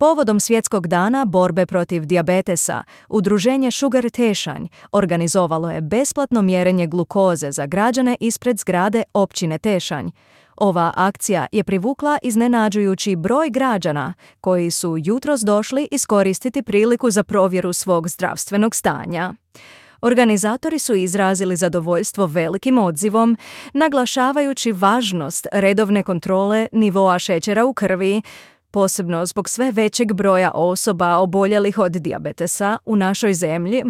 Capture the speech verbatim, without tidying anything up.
Povodom Svjetskog dana borbe protiv dijabetesa, udruženje Sugar Tešanj organizovalo je besplatno mjerenje glukoze za građane ispred zgrade općine Tešanj. Ova akcija je privukla iznenađujući broj građana koji su jutros došli iskoristiti priliku za provjeru svog zdravstvenog stanja. Organizatori su izrazili zadovoljstvo velikim odzivom, naglašavajući važnost redovne kontrole nivoa šećera u krvi, posebno zbog sve većeg broja osoba oboljelih od dijabetesa u našoj zemlji.